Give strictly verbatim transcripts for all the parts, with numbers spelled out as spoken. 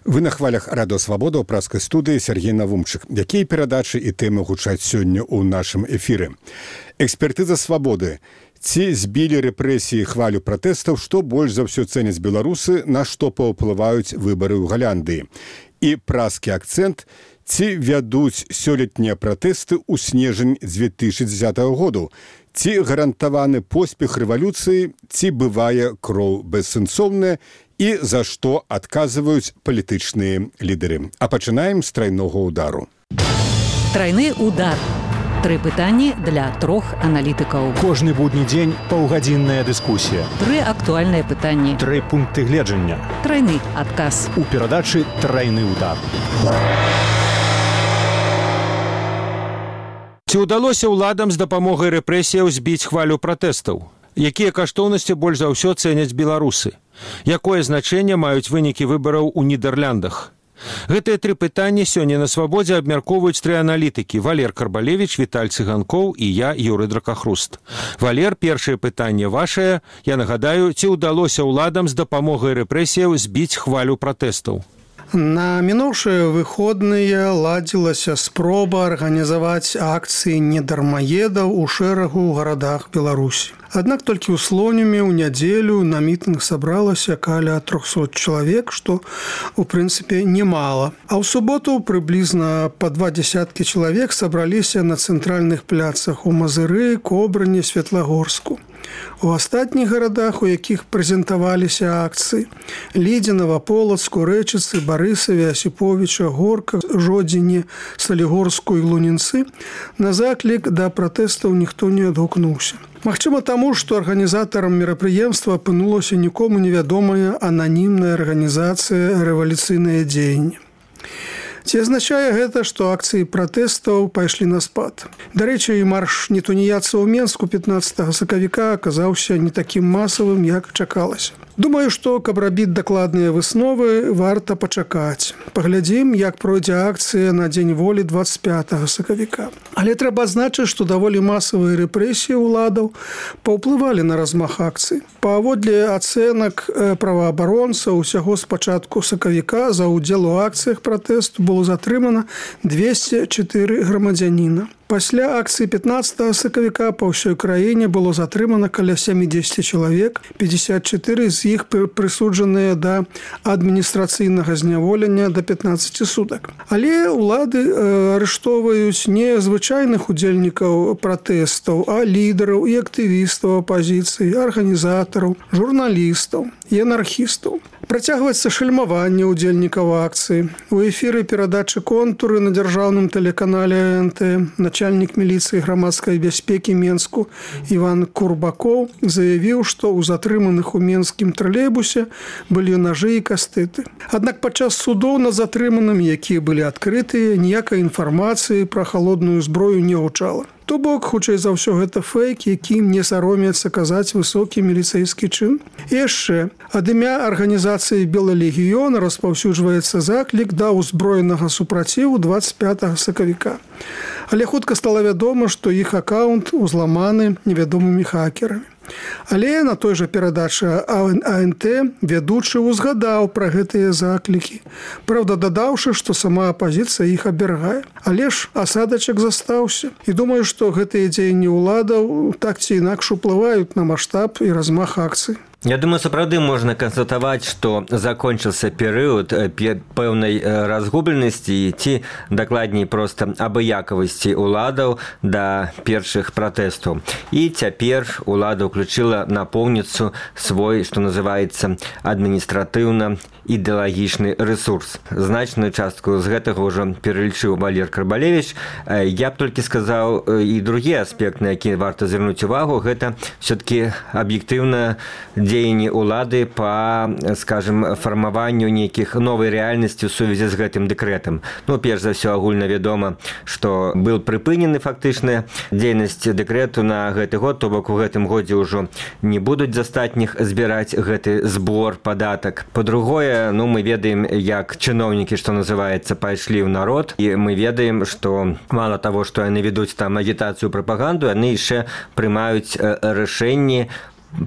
Вы на хвалях Радыё Свабода ў праскай студыі Сергей Навумчык. Якія перадачы і тэмы гучаць сёння ў нашым эфіры? Экспертыза свабоды. Ці збілі рэпрэсіі хвалю пратэстаў, што больш за ўсё цэняць беларусы, на што паўплываюць выбары ў Галандыі? І праскі акцэнт. Ці вядуць сёлетнія пратэсты ў снежань дзве тысячы дзесятага году? Ці гарантаваны поспех рэвалюцыі, ці бывае кроў бессэнсоўная, і за што адказваюць палітычныя лідары. А пачынаем з трайнога ўдару. Трайны удар. Тры пытанні для трох аналітыкаў. Кожны будні дзень паўгадзінная дыскусія. Тры актуальныя пытанні. Тры пункты гледжання. Трайны адказ. У перадачы «Трайны удар». Ці ўдалося ўладам з дапамогай рэпрэсіяў збіць хвалю пратэстаў? Якія каштоўнасці больш за ўсё цэняць беларусы? Якое значэнне маюць вынікі выбараў у Нідэрляндах? Гэтыя тры пытанні сёння на Свабодзе абмяркоўваюць тры аналітыкі: Валер Карбалевіч, Віталь Цыганкоў і я, Юрый Дракахруст. Валер, першае пытанне вашае. Я нагадаю, ці ўдалося ўладам з дапамогай рэпрэсіяў збіць хвалю пратэстаў? На мінуўшыя выходныя ладзілася спроба арганізаваць акцыі недармаедаў у шэрагу гарадах Беларусі. Аднак толькі ў Слонімі ў нядзелю на мітынг сабралася каля трохсот чалавек, што, у прынцыпе, немала. А ў суботу прыблізна па два дзясяткі чалавек сабраліся на цэнтральных пляцах у Мазыры, Кобрыні, Светлагорску. У астатніх гарадах, у якіх прэзентаваліся акцыі – Лідзе, Новаполацку, Рэчыцы, Барысаве, Асіповіча, Горка, Жодзіне, Салігорску і Лунінцы – на заклік да пратэстаў ніхто не адгукнуўся. Магчыма таму, што арганізатарам мерапрыемства апынулася нікому невядомая ананімная арганізацыя «Рэвалюцыйнае дзеянне». Ці азначае гэта, што акцыі пратэстаў пайшлі на спад? Дарэчы, і марш нетуніяцаў у Менску пятнаццатага сакавіка аказаўся не такім масавым, як чакалася. Думаю, што, каб рабіць дакладныя высновы, варта пачакаць. Паглядзім, як пройдзе акцыя на Дзень волі дваццаць пятага сакавіка. Але трэба адзначыць, што даволі масавыя рэпрэсіі ўладаў паўплывалі на размах акцый. Паводле ацэнак праваабаронцаў, усяго з пачатку сакавіка за ўдзел у акцыях пратэсту было затрымана двесце чатыры грамадзяніна. Пасля акцыі пятнаццатага сакавіка па ўсёй краіне было затрымана каля сямдзесят чалавек, пятьдесят чатыры з іх прысуджаныя да адміністрацыйнага зняволення да пятнаццаці сутак. Але ўлады арыштоўваюць не звычайных удзельнікаў пратэстаў, а лідараў і актывістаў апазіцыі, арганізатараў, журналістаў і анархістаў. Працягваецца шальмаванне ўдзельнікаў акцыі. У эфіры перадачы «Контуры» на дзяржаўным тэлеканале эн тэ начальнік міліцыі грамадскай бяспекі Менску Іван Курбакоў заявіў, што ў затрыманых у менскім тралейбусе былі нажы і кастыты. Аднак падчас судоў над затрыманымі, якія былі адкрытыя, ніякай інфармацыі пра халодную зброю не гучала. То бок, хутчэй за ўсё гэта фэйк, якім не саромецца казаць высокі міліцэйскі чын. І яшчэ, ад імя арганізацыі «Белы легіён» распаўсюджваецца заклік да ўзброенага супраціву дваццаць пятага сакавіка. Але хутка стала вядома, што іх акаунт узламаны невядомымі хакерамі. Але на той жа перадачы а эн тэ вядучы ўзгадаў пра гэтыя заклікі, праўда, дадаўшы, што сама апазіцыя іх абвяргае. Але ж асадачак застаўся. І думаю, што гэтыя дзеянні ўладаў так ці інакш уплываюць на маштаб і размах акцый. Я думаю, сапраўды можна канстатаваць, што закончыўся перыяд пэўнай разгубленасці ці, дакладней, проста абыякавасці ўладаў да першых пратэстаў. І цяпер улада ўключыла напоўніцу свой, што называецца, адміністратыўна-ідэалагічны рэсурс. Значную частку з гэтага ўжо пералічыў Валер Карбалевіч. Я б толькі сказаў і другі аспект, на які варта звярнуць увагу, гэта все-таки аб'ектыўна дзеянні ўлады па, скажем, фармаванню нейкіх новай рэальнасці ў сувязі з гэтым дэкрэтам. Ну, перш за ўсё, агульна вядома, што был прыпынены фактычна дзейнасць дэкрэту на гэты год, то бок у гэтым годзе ўжо не будуць з астатніх збіраць гэты збор падатак. Па-другое, ну, мы ведаем, як чыноўнікі, што называецца, пайшлі ў народ, і мы ведаем, што мала таго, што яны ведуць там агітацыю, прапаганду, яны яшчэ прымаюць рашэнні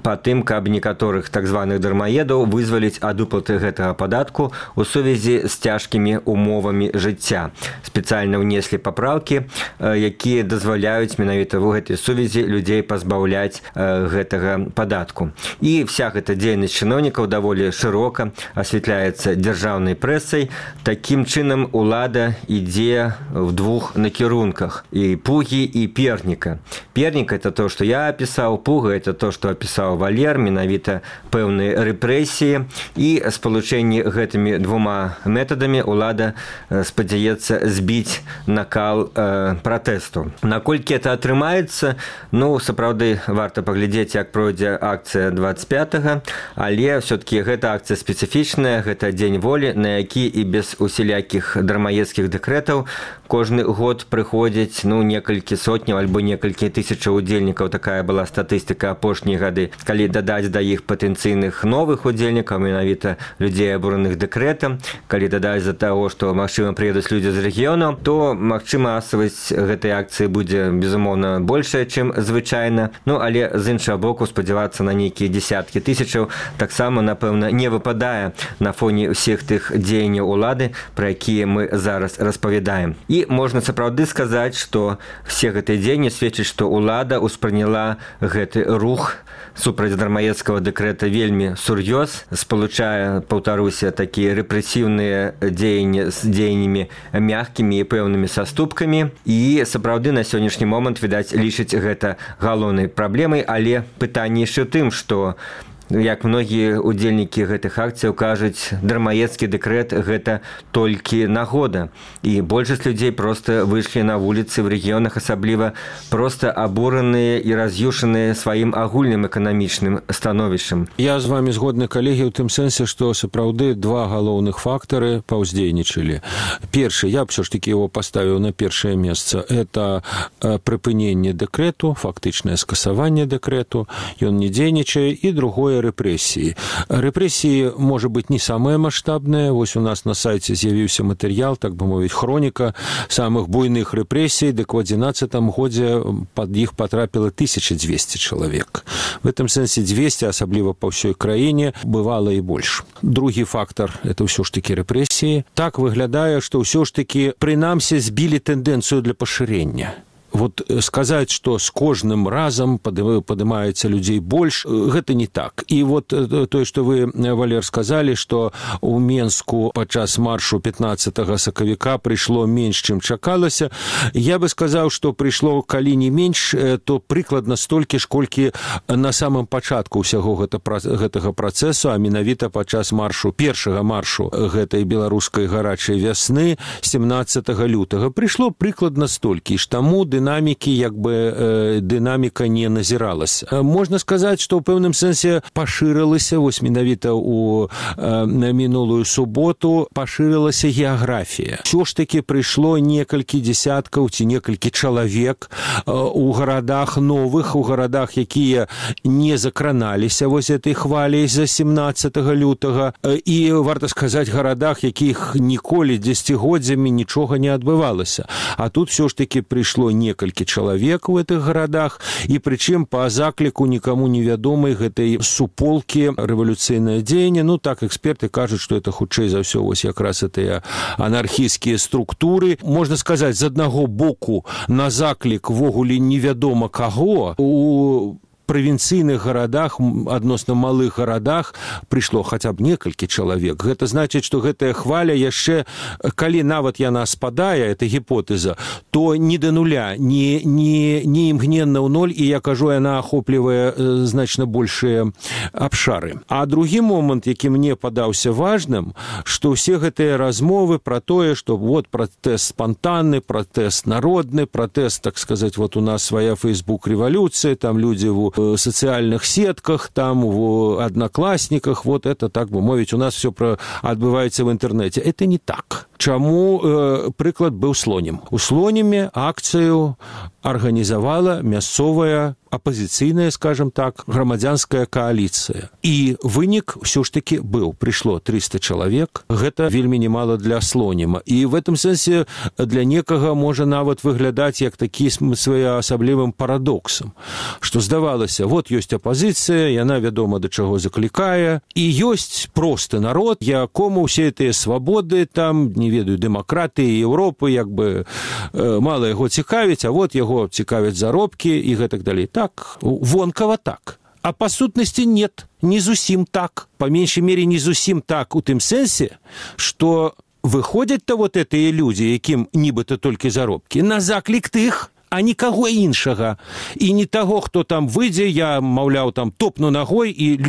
па тым, каб некаторых так званых дармаедаў вызваліць ад уплаты гэтага падатку у сувязі з цяжкімі умовамі жыцця. Спецыяльна ўнеслі папраўкі, якія дазваляюць менавіта ў гэтай сувязі людзей пазбаўляць гэтага падатку. І вся гэта дзейнасць чыноўнікаў даволі шырока асвятляецца дзяржаўнай прэсай. Такім чынам улада ідзе в двух накірунках: і пугі, і перніка. Пернік — это то, што я апісаў, пуга — это то, што апісаў Валер, менавіта пэўныя рэпрэсіі. І спалучэнні гэтымі двума метадамі улада спадзяецца збіць накал э, пратэсту. Наколькі это атрымаецца, ну, сапраўды варта паглядзець, як пройдзе акцыя двадцать пятага, але все-таки гэта акцыя спецыфічная, гэта дзень волі, на які і без усялякіх дармаедскіх дэкрэтаў кожны год прыходзіць, ну, некалькі сотняў альбо некалькі тысячаў удзельнікаў. Такая была статыстыка апошнія гады. Калі дадаць да іх патэнцыйных новых удзельнікаў, менавіта людзей, абураных дэкрэтам, калі дадаць за таго, што, магчыма, прыедуць людзі з рэгіёнаў, то, магчыма, масавасць гэтай акцыі будзе, безумоўна, большая, чым звычайна. Ну, але з іншага боку, спадзявацца на нейкія дзесяткі тысячаў таксама, напэўна, не выпадае на фоне ўсіх тых дзеянняў улады, пра якія мы зараз распавядаем. І можна сапраўды сказаць, што все гэтыя дзеянні сведчаць, што улада ўспрыняла гэты рух супраць дармаедскага дэкрэта вельмі сур'ёз, спалучае, паўтаруся, такія рэпрэсіўныя дзеянні з дзеяннямі мяккімі і пэўнымі саступкамі. І сапраўды на сённяшні момант, відаць, лічыць гэта галоўнай праблемай, але пытанне яшчэ ў тым, што, як многія удзельнікі гэтых акцыяў кажуць, дармаедскі дэкрэт — гэта толькі нагода. І большасць людзей проста выйшлі на вуліцы ў рэгіёнах, асабліва проста абураныя і раз'юшаныя сваім агульным эканамічным становішчам. Я з вами згодны, калегі, ў тым сэнсе, што сапраўды два галоўных фактары паўздзейнічалі. Першы, я б все ж таки его поставіў на першае месца, это прыпыненне дэкрэту, фактычнае скасаванне дэкрэту, ён не дзейнічае. І другое — рэпрэсіі. Рэпрэсіі, можа быць, не самыя маштабныя. Вось у нас на сайце з'явіўся матэрыял, так бы мовіць, хроніка самых буйных рэпрэсій. Дык у адзінаццатым годзе пад іх потрапіла тысяча дзвесце чалавек. В этом сэнсе двести, асабліва па ўсёй краіне, бывала і больш. Другі фактар — это ўсё ж такі рэпрэсіі. Так выглядае, што ўсё ж такі, прынамсі, збілі тэндэнцыю для пашырення. Вот сказаць, што з кожным разам падымаецца людзей больш, гэта не так. І вот тое, што вы, Валер, сказалі, што ў Менску падчас маршу пятнаццатага сакавіка прыйшло менш, чым чакалася, я бы сказаў, што прыйшло, калі не менш, то прыкладна столькі ж, колькі на самым пачатку ўсяго гэтага працэсу, а менавіта падчас маршу, першага маршу гэтай беларускай гарачай вясны семнаццатага лютага. Прыйшло прыкладна столькі ж. Таму дынамікі, як бы э, дынаміка не назіралась. Можна сказаць, што ў пэўным сэнсе пашырылася, вось менавіта ў э, мінулую суботу пашырылася геаграфія. Усё ж такі прыйшло некалькі дзесяткаў ці некалькі чалавек э, у гарадах новых, у гарадах, якія не закраналіся вось этой хваляй за семнаццатага лютага, э, і, варта сказаць, гарадах, якіх ніколі дзесяцігоддзямі нічога не адбывалася. А тут всё ж такі прыйшло не некалькі чалавек у гэтых гарадах, і прычым па закліку нікаму невядомай гэтай суполкі рэвалюцыйнае дзеянне. Ну, так, эксперты кажуць, што это хутчэй за ўсё вось якраз гэтыя анархісцкія структуры. Можна сказаць, з аднаго боку, на заклік ввогуле невядома каго у правінцыйных гарадах, адносна малых гарадах прыйшло хаця б некалькі чалавек. Гэта значыць, што гэтая хваля яшчэ, калі нават яна спадае, это гіпотэза, то не да нуля, не, не, не імгненна ў ноль, і я кажу, яна ахоплівае э, значна большыя абшары. А другі момант, які мне падаўся важным, што ўсе гэтыя размовы пра тое, што вот пратэст спантанны, пратэст народны, пратэст, так сказаць, вот у нас свая фейсбук-рэвалюцыя, там людзі в в социальных сетках, там в одноклассниках, вот это, так бы мовить, у нас все про... отбывается в интернете. Это не так. Чаму э, прыклад быў слонем? У слонеме акцыю арганізавала мясцовая апозіцыйная, скажем так, грамадзянская кааліцыя. І вынік ўсё ж таки быў. Прыйшло триста чалавек. Гэта вельмі немало для слоніма. І в этом сэнсе для некага можа нават выглядаць як такі своеасаблівым парадоксам, што здавалася, вот ёсць апозіцыя, яна вядома да чаго заклікае, і ёсць просты народ, якому ўсе гэтыя свабоды, там, не ведаю, дэмакратыі Еўропы, як бы мала яго цікавіць, а вот яго цікавяць заробкі і гэтак далей. Так, вонкава так. А па сутнасці нет, не зусім так. Па меншай мере, не зусім так у тым сэнсе, што выходзяць-то вот гэтыя людзі, якім нібыта толькі заробкі, на заклік тых, а нікаго іншага. І не таго, хто там выйдзе, я, маўляў, там топну ногой, і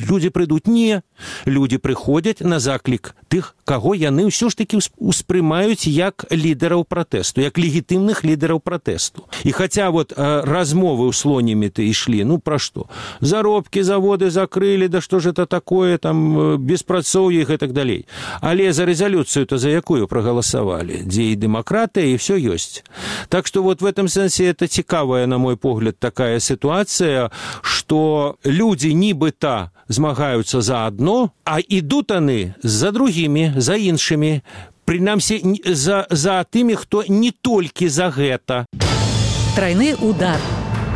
людзі прыйдуць. Не. Людзі прыходзяць на заклік тых, каго яны ўсё ж такі успрымаюць як лідараў пратэсту, як легітымных лідараў пратэсту. І хаця вот э, размовы ў слонімі-то ішлі, ну пра што? Заробкі, заводы закрылі, да што ж это такое, там, беспрацоўе і гэтак далей. Але за рэзалюцыю-то за якую прагаласавалі? Дзе і дэмакратыя, і ўсё ёсць. Так што вот в этом сэнсе это цікавая, на мой погляд, такая ситуация, что люди нібыта змагаюцца за одно, а ідут они за другими, за іншими, прынамсі за, за тымі, хто не толькі за гэта. Трайны удар.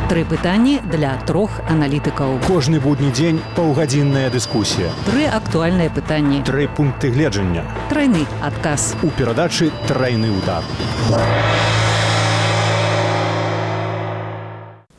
Тры пытанні для трох аналітыкаў. Кожны будні дзень паўгадзінная дыскусія. Тры актуальныя пытанні. Тры пункты гледжання. Трайны адказ. У перадачы «Трайны удар».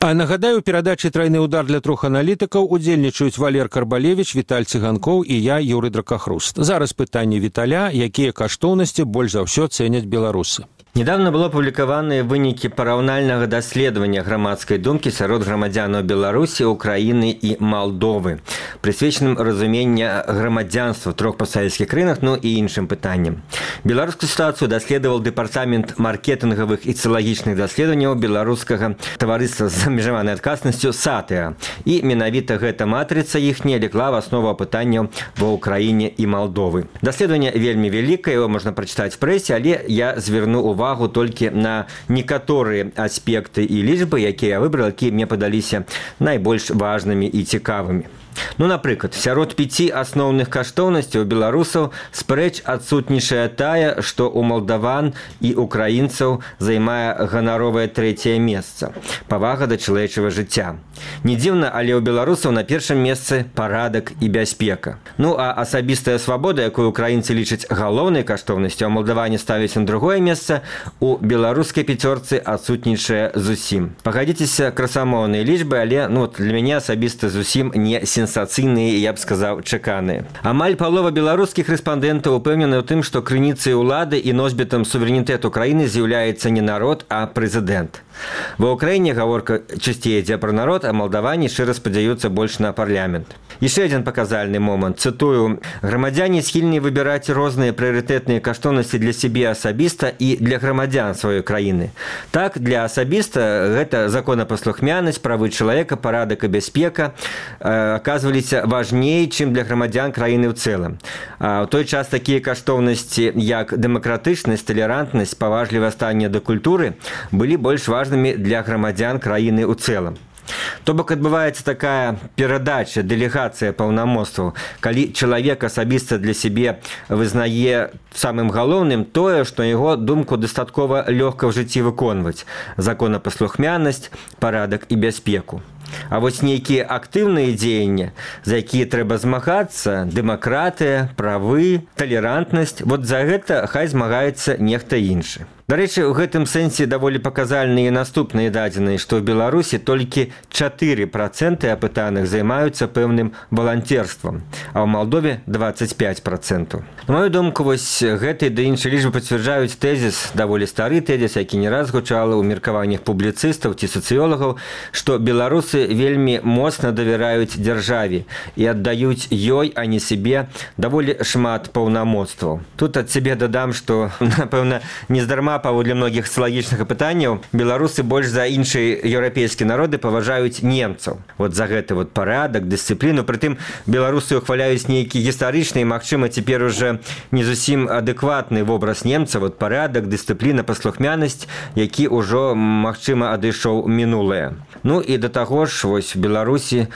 А нагадаю, у перадачы «Трайны удар» для трох аналітыкаў удзельнічаюць Валер Карбалевіч, Віталь Цыганкоў і я, Юрый Дракахруст. Зараз пытанне Віталя, якія каштоўнасці больш за ўсё цэняць беларусы. Недавно было апублікаваныя вынікі параўнальнага даследавання грамадскай думкі сярод грамадзянаў Беларусі, Украіны і Малдовы, прысвечаным разумення грамадзянства в трох пастсавецкіх краінах, ну і іншым пытанням. Беларускую сітуацыю даследаваў дэпартамент маркетынгавых і цылагічных даследаванняў беларускага таварыства з абмежаванай адказнасцю САТЭА. І менавіта гэта матрыца іхняя легла в аснову пытанняў ва Украіне і Малдовы. Даследаванне вельмі вялікае, его можна прачытаць в прэсе, але я зверну увагу увагу толькі на некаторыя аспекты і лічбы, якія я выбрал, якія мне падаліся найбольш важнымі і цікавымі. Ну, напрыклад, сярод пяці асноўных каштоўнасцяў беларусаў спрэч адсутнічае тая, што ў малдаван і украінцаў займае ганаровае трэцяе месца – павага да чалавечага жыцця. Не дзіўна, але ў беларусаў на першым месцы парадак і бяспека. Ну, а асабістая свабода, якую украінцы лічаць галоўнай каштоўнасцю, а малдаване ставяць на другое месца, у беларускай пяцёрцы адсутнічае зусім. Пагадзіцеся, красамоўныя лічбы, але ну, для мяне асабіста зусім не сенсацыйныя, я б сказаў, чаканыя. Амаль палова беларускіх рэспандэнтаў упэўнены ў тым, што крыніцай улады і носьбітам суверэнітэту краіны з'яўляецца не народ, а прэзідэнт. Ва ўкраіне гаворка часцей ідзе пра народ, а малдаване шчыра спадзяюцца больш на парламент. Яшчэ адзін паказальны момант. Цытую: грамадзяне схільны выбіраць розныя прыярытэтныя каштоўнасці для сябе асабіста і для грамадзян сваёй краіны. Так, для асабіста гэта законапаслухмянасць, правы чалавека, парадак і бяспека э, аказваліся важней, чым для грамадзян краіны ў цэлым. А ў той час такія каштоўнасці, як дэмакратычнасць, талерантнасць, паважлівае стаўленне да культуры, былі больш важнымі для грамадзян краіны ў цэлым. То бок адбываецца такая перадача, дэлегацыя паўнамоцтваў, калі чалавек асабіста для сябе вызнае самым галоўным тое, што яго думку дастаткова лёгка ў жыцці выконваць – законапаслухмянасць, парадак і бяспеку. А вось нейкія актыўныя дзеянні, за якія трэба змагацца, дэмакратыя, правы, талерантнасць, вот за гэта хай змагаецца нехта іншы. Дарэчы, у гэтым сэнсе даволі паказальныя наступныя дадзеныя, што ў Беларусі толькі чатыры працэнты апытаных займаюцца пэўным валанцерствам, а ў Малдове дваццаць пяць працэнтаў. На маю думку, вось гэтай ды іншай лічбы пацвярджаюць тэзіс, даволі стары тэзіс, які не раз гучала ў меркаваннях публіцыстаў ці сацыёлагаў, што беларусы вельмі моцна давяраюць дзяржаве і аддаюць ёй, а не сябе, даволі шмат паўнамоцтваў. Тут ад сябе дадам, што, напэўна, нездарма паводле многіх сацыялагічных апытанняў беларусы больш за іншыя еўрапейскія народы паважаюць немцаў вот за гэты вот парадак, дысцыпліну. Прытым беларусы ухваляюць нейкі гістарычны і, магчыма, цяпер уже не зусім адэкватны вобраз немца, вот парадак, дысцыпліна, паслухмянасць, які ўжо, магчыма, адышоў мінулае. Ну і да таго ж вось в Беларусі,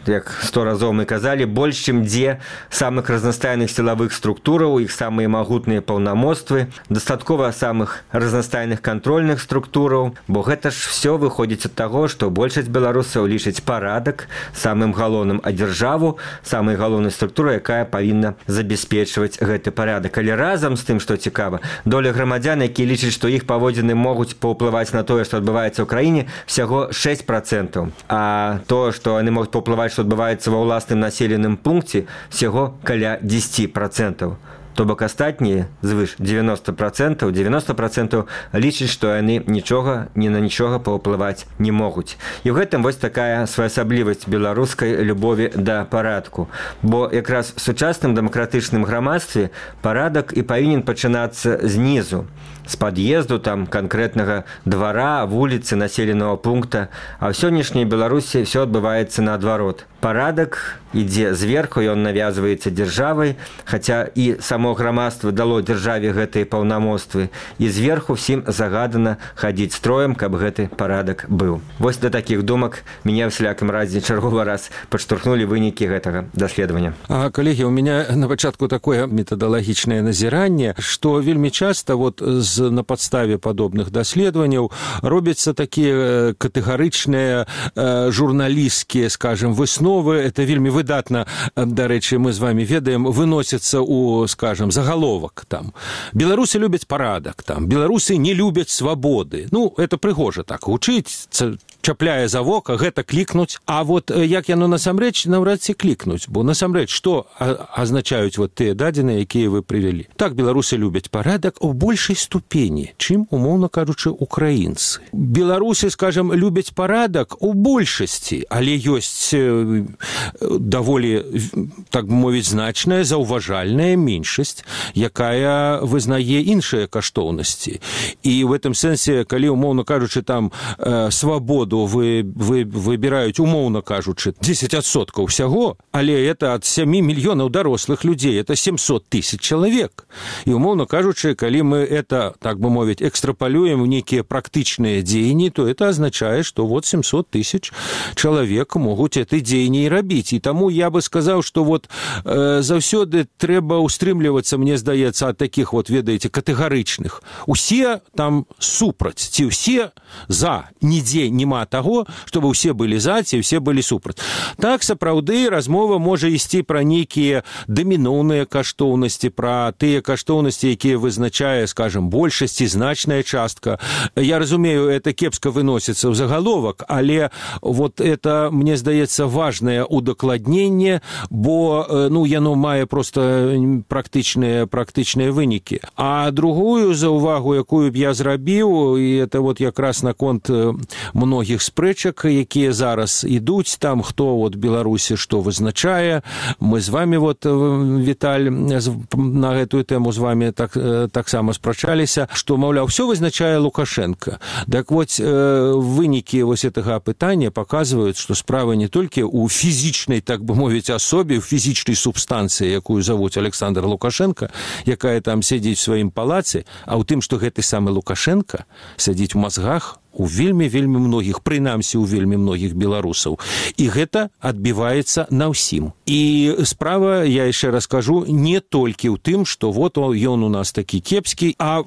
як сто разоў мы казалі, больш чым дзе самых разнастайных сілавых структураў, іх самыя магутныя паўнамоцтвы, дастаткова самых разнастайных кантрольных структураў, бо гэта ж все выходзіць ад таго, што большасць беларусаў лічыць парадак самым галоўным, а дзяржаву самай галоўнай структурай, якая павінна забяспечваць гэты парадак. Але разам з тым, што цікава, доля грамадзян, якія лічаць, што іх паводзіны могуць паўплываць на тое, што адбываецца ў краіне, всяго шэсць процентаў. А то, што яны могуць паўплываць, што адбываецца ва ўласным населеным пункце, всяго каля дзесяць процентаў. То бок астатнія звыш девяносто процентаў девяносто процентаў лічаць, што яны нічога ні на нічога паўплываць не могуць. І ў гэтым вось такая своеасаблівасць беларускай любові да парадку. Бо якраз в сучасным дэмакратычным грамадстве парадак і павінен пачынацца знізу, з пад'езду там канкрэтнага двара, вуліцы, населенага пункта, а ў сённяшняй Беларусі все адбываецца наадварот. Парадак ідзе зверху, ён навязваецца дзяржавай, хаця і само грамадства дало дзяржаве гэтыя паўнамоцтвы, і зверху всім загадана хадзіць строем, каб гэты парадак быў. Вось да такіх думак мяне ў всялякім разе чарговы раз падштурхнулі вынікі гэтага даследавання. А, калегі, у меня на пачатку такое метадалагічнае назіранне, што вельмі часта вот з, на падставе падобных даследаванняў робяцца такія катэгарычныя э, журналісцкія, скажем, высновы. Это вельмі выдатна, дарэчы, мы з вами ведаем, выносіцца у, скажем, загаловак там. Беларусы любяць парадак, там. Беларусы не любяць свабоды. Ну, это прыгожа так гучыць, чапляе за вока, гэта клікнуць. А вот як яно насамрэч, наўрад ці клікнуць, бо насамрэч, што азначаюць вот тыя дадзеныя, якія вы прывялі? Так, беларусы любяць парадак у большай ступені, чым, умоўна кажучы, украінцы. Беларусы, скажем, любяць парадак у большасці, але ёсць даволі, так бы мовіць, значная, заўважальная меншасць, якая вызнае іншыя каштоўнасці. І в этом сэнсе, калі, умоўна кажучы, там э, свабоду вы, вы выбіраюць, умоўна кажучы, дзесяць адсоткаў усяго, але это ад сямі мільёнаў дарослых людзей, это семьсот тысяч чалавек. І, умоўна кажучы, калі мы это, так бы мовіць, экстрапалюем в нейкія практычныя дзеянні, то это азначае, што вот семьсот тысяч чалавек могуць это дзеянні не рабіць. І таму я бы сказаў, што вот э, заўсёды трэба устрымлівацца, мне здаецца, ад такіх вот, ведаеце, катэгарычных. Усе там супраць, ці ўсе за. Нідзе няма таго, чтобы ўсе былі за, ці ўсе былі супраць. Так, сапраўды, размова можа ісці пра нейкія даміноўныя каштоўнасці, пра тыя каштоўнасці, якія вызначае, скажем, большасць і значная частка. Я разумею, это кепска выносіцца ў загаловак, але вот это, мне здаецца, важна удакладненне, бо ну, яно мае проста практычныя, практычныя вынікі. А другую заўвагу, якую б я зрабіў, і это вот якраз наконт многіх спрэчак, якія зараз ідуць, там хто вот Беларусі што вызначае. Мы з вами, вот, Віталь, на гэтую тэму з вами так, таксама спрачаліся, што, маўляў, все вызначае Лукашенко. Так вот, вынікі вось гэтага апытання паказваюць, што справа не толькі ў фізічнай, так бы мовіць, асобе, у фізічнай субстанцыі, якую завуць Александр Лукашенко, якая там сядзіць у сваім палацы, а ў тым, што гэты самы Лукашенко сядзіць у мазгах у вельмі-вельмі многіх, прынамсі у вельмі многіх беларусаў. І гэта адбіваецца на ўсім. І справа, я яшчэ раз кажу, не толькі ў тым, што вот ён у нас такі кепскі, а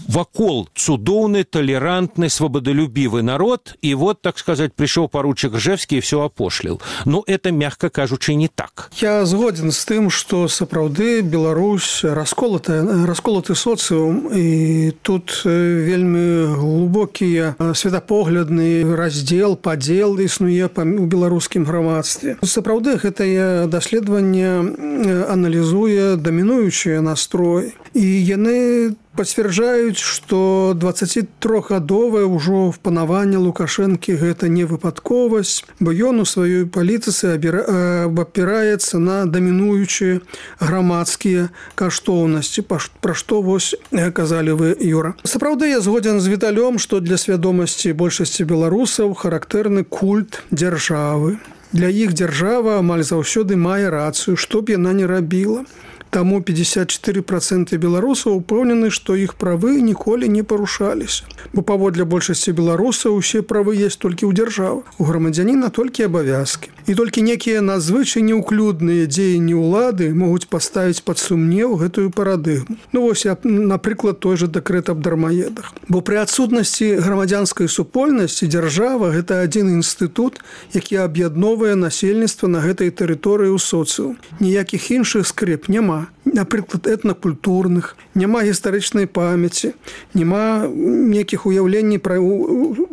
вакол цудоўны, талерантны, свабодолюбівы народ, і вот, так сказаць, прыйшоў паручык Ржэвскі і все апошліл. Ну, это, мягка кажучы, не так. Я згоден з тым, што сапраўды Беларусь расколаты, расколаты соцыум, і тут вельмі глубокія светапоглядны раздзел, падзел існуе у беларускім грамадстве. Сапраўды, гэтае даследаванне аналізуе дамінуючыя настрой. І яны пацвярджаюць, што дваццацітрохгадовае ўжо впанаванне Лукашэнкі гэта не выпадковасць, бо ён у сваёй палітыцы абапіраецца на дамінуючыя грамадскія каштоўнасці, пра што вось казалі вы, Юра. Сапраўды я згодзен з Віталём, што для свядомасці большасці беларусаў характэрны культ дзяржавы. Для іх дзяржава амаль заўсёды мае рацыю, што б яна не рабіла. Таму пятьдесят четыре процента беларусаў упэўнены, што іх правы ніколі не парушаліся. Бо паводле большасці беларусаў усе правы есть толькі ў дзяржавы. У грамадзяніна толькі абавязкі. І толькі некія надзвычай неўклюдныя дзеянні ўлады могуць паставіць пад сумнеў гэтую парадыгму. Ну вось, напрыклад, той жа дэкрэт аб дармаедах. Бо пры адсутнасці грамадзянскай супольнасці дзяржава – гэта адзін інстытут, які аб'ядноўвае насельніцтва на гэтай тэрыторыі ў соцыум. Ніякіх іншых скрэп няма. Напрыклад, этнакультурных, няма гістарычнай памяці, няма нейкіх уяўленняў пра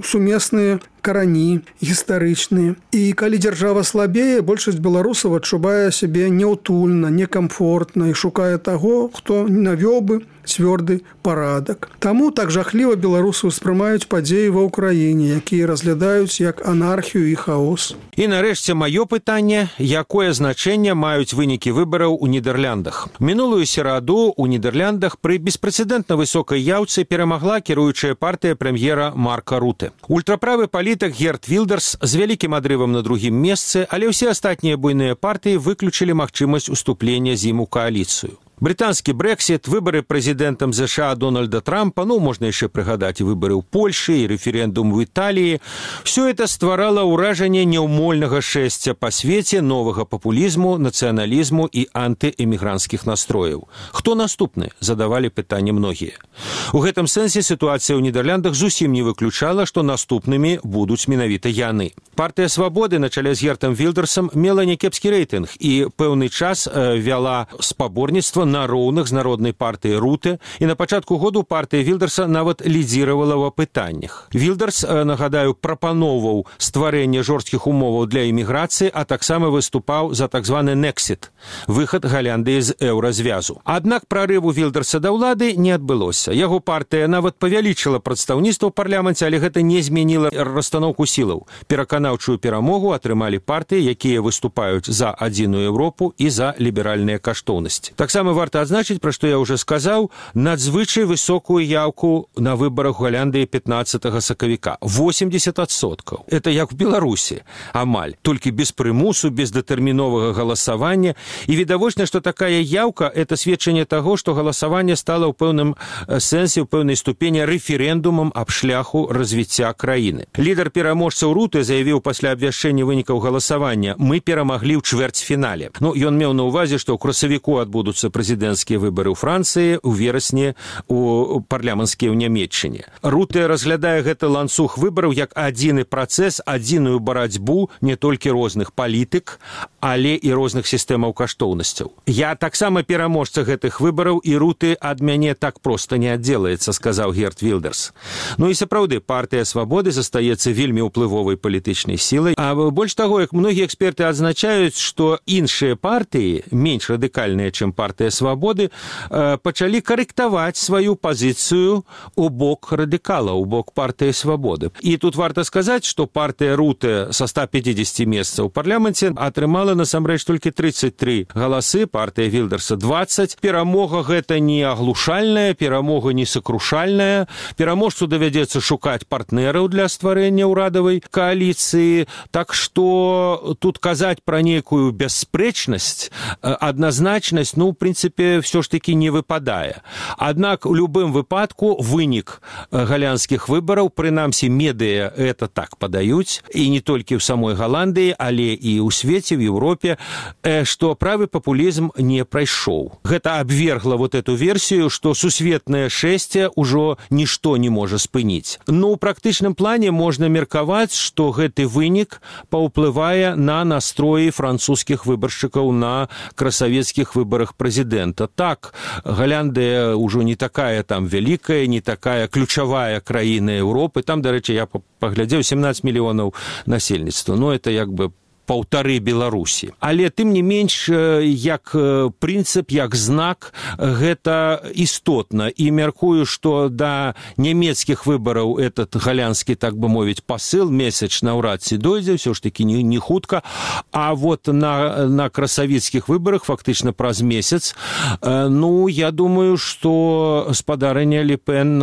сумесныя карані гістарычныя. І калі дзяржава слабее, большасць беларусаў адчувае сябе няўтульна, некамфортна і шукае таго, хто навёў бы цвёрды парадак. Таму так жахліва беларусы ўспрымаюць падзеі ва ўкраіне, якія разглядаюць як анархію і хаос. І нарэшце маё пытанне, якое значэнне маюць вынікі выбараў у Нідэрляндах. Мінулую сераду ў Нідэрляндах пры беспрэцэдэнтна высокай яўцы перамагла кіруючая партыя прэм'ера Марка Руте. Ультраправы палітык Герт Вілдерс з вялікім адрывам на другім месцы, але ўсе астатнія буйныя партыі выключылі магчымасць уступлення з ім у кааліцыю. Брытанскі Брэксіт, выбары прэзідэнтам ЗША Дональда Трампа, ну, можна яшчэ прыгадаць і выбары ў Польшы, і рэферэндум у Італіі. Всё это стварала ўражанне няўмольнага шэсця па свеце новага папулізму, нацыяналізму і антыэмігранцкіх настрояў. Хто наступны? Задавалі пытанне многія. У гэтым сэнсе сітуацыя ў Нідэрляндах зусім не выключала, што наступнымі будуць менавіта яны. Партыя Свабоды на чале з Гертам Вілдерсам мела някепскі рэйтынг і пэўны час э, вяла спаборніцтва на роўных з народнай партыяй Руте, і на пачатку году партыя Вілдерса нават лідзіравала ў апытаннях. Вілдерс, нагадаю, прапаноўваў стварэнне жорсткіх умоваў для эміграцыі, а таксама выступаў за так званы Нексіт, выхад Галандыі з еўразвязу. Аднак прарыву Вілдерса да ўлады не адбылося. Яго партыя нават павялічыла прадстаўніцтва ў парламенце, але гэта не змяніла расстаноўку сілаў. Пераканаўчую перамогу атрымалі партыі, якія выступаюць за адзіную Еўропу і за ліберальныя каштоўнасці. Таксама варта адзначыць, пра што я ўжо сказаў, надзвычай высокую яўку на выбарах у Галандыі пятнаццатага сакавіка. восемьдесят адсоткаў. Это як у Беларусі, амаль. Толькі без прымусу, без датэрміновага галасавання. І відавочна, што такая яўка – это сведчанне таго, што галасаванне стала ў пэўным сэнсе, ў пэўнай ступені рэферэндумам аб шляху развіцця краіны. Лідар пераможцаў Руте заявіў пасля абвяшчэння вынікаў галасавання: «Мы перамаглі ў чвэрцьфінале». Ну, ён меў на ўвазе, што ў красавіку адбудуцца прэзідэнцкія выбары ў Францыі, у верасні у парламенцкія ў Нямецчыне. Руте разглядае гэты ланцуг выбараў як адзіны працэс, адзіную барацьбу не толькі розных палітык, але і розных сістэмаў каштоўнасцяў. Я таксама пераможца гэтых выбараў, і Руте ад мяне так проста не аддзелаецца, сказаў Герт Вілдерс. Ну і сапраўды, партыя Свабоды застаецца вельмі ўплывовай палітычнай сілай. А больш таго, як многія эксперты адзначаюць, што іншыя партыі, менш радыкальныя, чым партыя Свабоды, пачалі карэктаваць сваю пазіцыю у бок радыкала, у бок партыі Свабоды. І тут варта сказаць, што партыя Руте са ста пятидесяти месцаў у парламенце атрымала насамрэч толькі тридцать три галасы, партыя Вілдерса двадцать. Перамога гэта не аглушальная, перамога не сакрушальная. Пераможцу давядзецца шукаць партнераў для стварэння ўрадавай кааліцыі. Так што тут казаць пра нейкую бясспрэчнасць, адназначнасць, ну, в прынцыпе, все ж таки не выпадае. Аднак у любым выпадку вынік галандскіх выбараў, прынамсі медыя это так падаюць, і не толькі ў самой Галандыі, але і ў свеце, в Еўропе, што правы папулізм не прайшоў. Гэта абвергла вот эту версію, што сусветнае шэсце ўжо нішто не можа спыніць. Ну, у практычным плане можна меркаваць, што гэты вынік паўплывае на настроі французскіх выбаршчыкаў на красавецкіх выбарах прэзідэнта. Так, Галяндыя ўжо не такая там вялікая, не такая ключавая краіна Еўропы. Там, дарэчы, я паглядзеў, семнадцать мільёнаў насельніцтва. Ну, это як бы паўтары Беларусі. Але тым не менш, як прынцып, як знак, гэта істотна. І мяркую, што да нямецкіх выбараў этот галянскі, так бы мовіць, пасыл месяц наўрад ці дойдзе, ўсё ж такі не, не хутка. А вот на, на красавіцкіх выбарах фактычна праз месяц, ну, я думаю, што спадарыня Ле Пен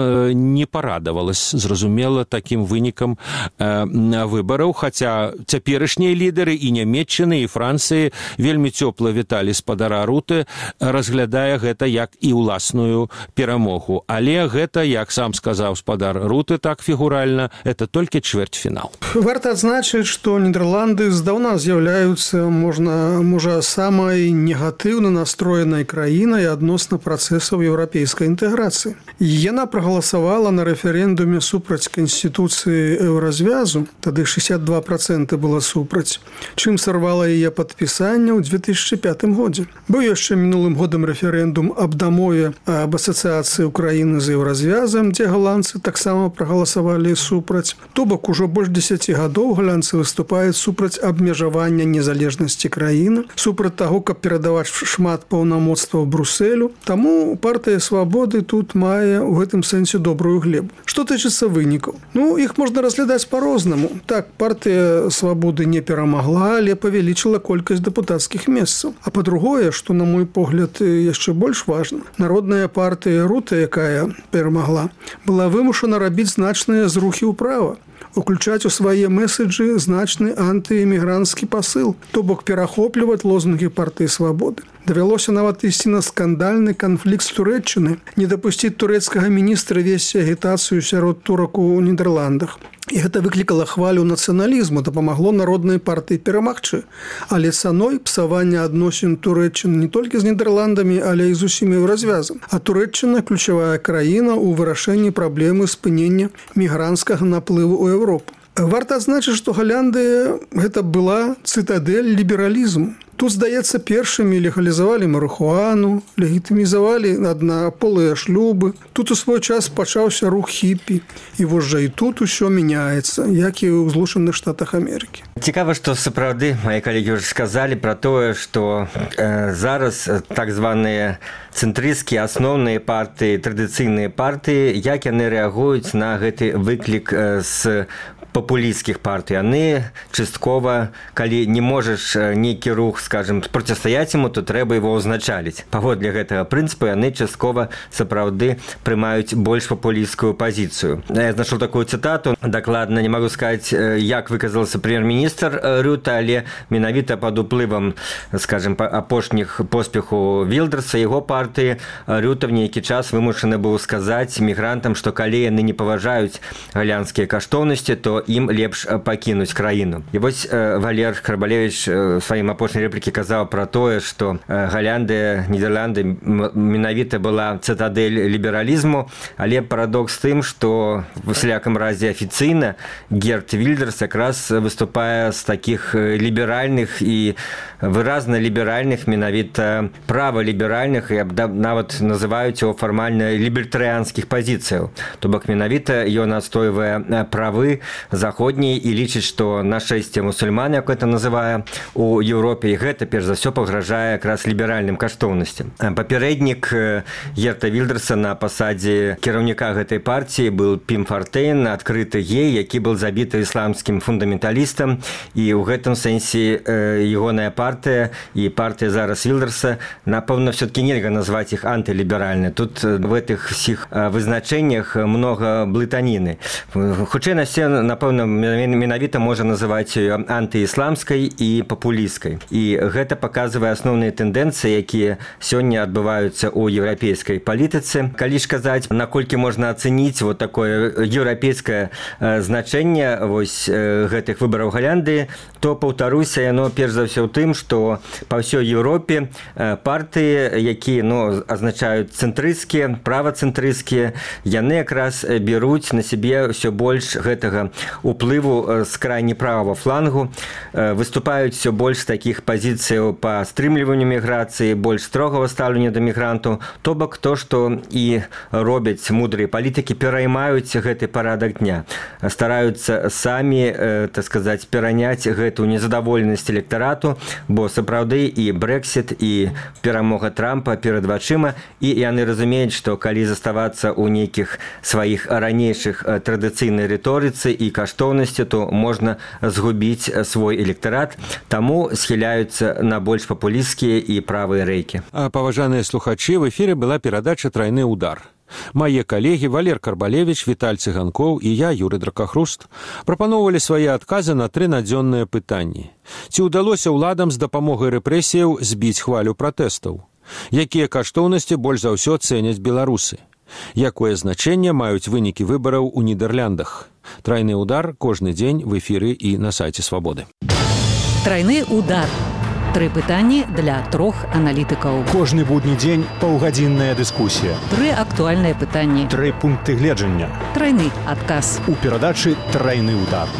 не парадавалась, зразумела, такім вынікам выбараў, хаця цяперашнія лідары і Нямецчыны, і Францыі вельмі цёпла віталі спадара Руты, разглядае гэта як і ўласную перамогу. Але гэта, як сам сказаў спадар Руты, так фігуральна, это толькі чвэрцьфінал. Варта адзначыць, што Нідерланды здаўна з'яўляюцца, можна, можа, самай негатыўна настроенай краінай адносна працэсаў еўрапейскай інтэграцыі. Яна прагаласавала на рэферэндуме супраць канстытуцыі еўразвязу, тады шэсцьдзесят два працэнты было супраць, чым сарвала яе падпісанне ў две тысячы пятым годзе. Быў яшчэ мінулым годам рэферэндум аб дамове аб асацыяцыі Украіны з еўразвязам, дзе галандцы таксама прагаласавалі супраць. То бок ужо больш дзесяці гадоў галандцы выступаюць супраць абмежавання незалежнасці краіны, супраць таго, каб перадаваць шмат паўнамоцтваў Брусэлю. Таму партыя Свабоды тут мае ў гэтым сэнсе добрую глебу. Што тычыцца вынікаў? Ну, іх можна разглядаць па-рознаму. Так, партыя Свабоды не перамагла, але павялічыла колькасць дэпутацкіх месцаў. А па-другое, што, на мой погляд, яшчэ больш важна, народная партыя Рута, якая перамагла, была вымушана рабіць значныя зрухі ўправа, уключаць у свае меседжы значны антыэмігранцкі пасыл, то бок перахопліваць лозунгі партыі Свабоды. Давялося нават ісці на скандальны канфлікт з Турэччыны, не дапусціць турэцкага міністра весці агітацыю сярод турак у Нідерландах. І гэта выклікала хвалю нацыяналізму, дапамагло народнай партыі перамагчы. Але цаной псавання адносін Турэччыны не толькі з Нідерландамі, але і з усім еўразвязам. А Турэччына – ключавая краіна ў вырашэнні праблемы спынення мігранцкага наплыву ў Еўропу. Варта адзначыць, што Галляндыя – гэта была цытадэль лібералізму. Тут, здаецца, першымі легалізавалі марыхуану, легітымізавалі аднаполыя шлюбы. Тут у свой час пачаўся рух хіпі. І вось жа і тут усё мяняецца, як і ў Злучаных Штатах Амерыкі. Цікава, што сапраўды мае калегі ўжо сказалі пра тое, што э, зараз так званыя цэнтрысцкія асноўныя партыі, традыцыйныя партыі, як яны рэагуюць на гэты выклік э, з папулісцкіх партый. Яны часткова, калі не можаш нейкі рух, скажем, процістаяць яму, то трэба его ўзначаліць. Паводле гэтага прынцыпу яны часткова сапраўды прымаюць больш папулісцкую пазіцыю. Я знайшоў такую цытату, дакладна не магу сказаць, як выказался прэм'ер-міністр Рюта, але менавіта пад уплывам, скажем, апошніх поспеху Вілдерса, яго партыі, Рюта в нейкі час вымушаны быў сказаць мігрантам, што калі яны не паважаюць галянскія каштоўнасці, то ім лепш пакінуць краіну. І вось э, Валер Карбалевіч э, сваім апошняй рэплікі казаў пра тое, што э, Галляндыя, Нідерланды менавіта была цытадэль лібералізму, але парадокс тым, што в усялякам разе афіцыйна Герт Вільдерс якраз выступае з такіх ліберальных і выразна ліберальных, менавіта праваліберальных, і нават называюць его фармальна лібертарыянскіх пазіцыяў. То бок менавіта ён адстойвае правы заходняй і лічыць, што нашэсце мусульман, як это называе у Еўропе, і гэта перш за ўсё пагражае якраз ліберальным каштоўнасцям. Папярэднік Герта Вільдерса на пасадзе кіраўніка гэтай партіі быў Пім Фартейн, адкрыты гей, які быў забіты ісламскім фундаменталістам, і ў гэтым сэнсе ягоная партыя і партыя зараз Вільдерса, напэўна, все-таки нельга назваць іх антыліберальнай. Тут в гэтых усіх вызначэннях многа блытаніны. Хутчэй на все, напэўна, менавіта можа называць ее антыісламскай і папулісцкай. І гэта паказвае асноўныя тэндэнцыі, якія сёння адбываюцца ў еўрапейскай палітыцы. Калі ж казаць, наколькі можна ацэніць вот такое еўрапейскае значэнне вось гэтых выбараў Галляндыі, то, паўтаруся, яно перш за ўсё ў тым, што па ўсёй Еўропе партыі, якія ну, азначаюць цэнтрысцкія, правацэнтрысцкія, яны якраз бяруць на сябе ўсё больш гэтага уплыву з крайне правого флангу. Выступаюць все больш такіх пазіцыяў па стрымліванню міграцыі, больш строгага стаўлення да мігрантаў. То бок то, што і робяць мудрыя палітыкі, пераймаюць гэты парадак дня. Стараюцца самі, так сказаць, пераняць гэту незадаволенасць электарату, бо сапраўды і Брэксіт, і перамога Трампа перад вачыма, і яны разумеюць, што калі заставацца ў нейкіх сваіх ранейшых традыцыйнай рыторыцы і каштоўнасці, то можна згубіць свой электарат, таму схіляюцца на больш папулісцкія і правыя рэйкі. А паважаныя слухачы, в эфіры была перадача «Трайны удар». Мае калегі Валер Карбалевіч, Віталь Цыганкоў і я, Юрый Дракахруст, прапаноўвалі свае адказы на тры надзённыя пытанні. Ці ўдалося ўладам з дапамогай рэпрэсіяў збіць хвалю пратэстаў? Якія каштоўнасці больш за ўсё цэняць беларусы? Якое значэнне маюць вынікі выбараў у Нідерландах? Трайны удар кожны дзень в эфіры і на сайце Свабоды. Трайны удар. Тры пытанні для трох аналітыкаў. Кожны будні дзень паўгадзінная дыскусія. Тры актуальныя пытанні. Тры пункты гледжання. Трайны адказ. У перадачы «Трайны удар».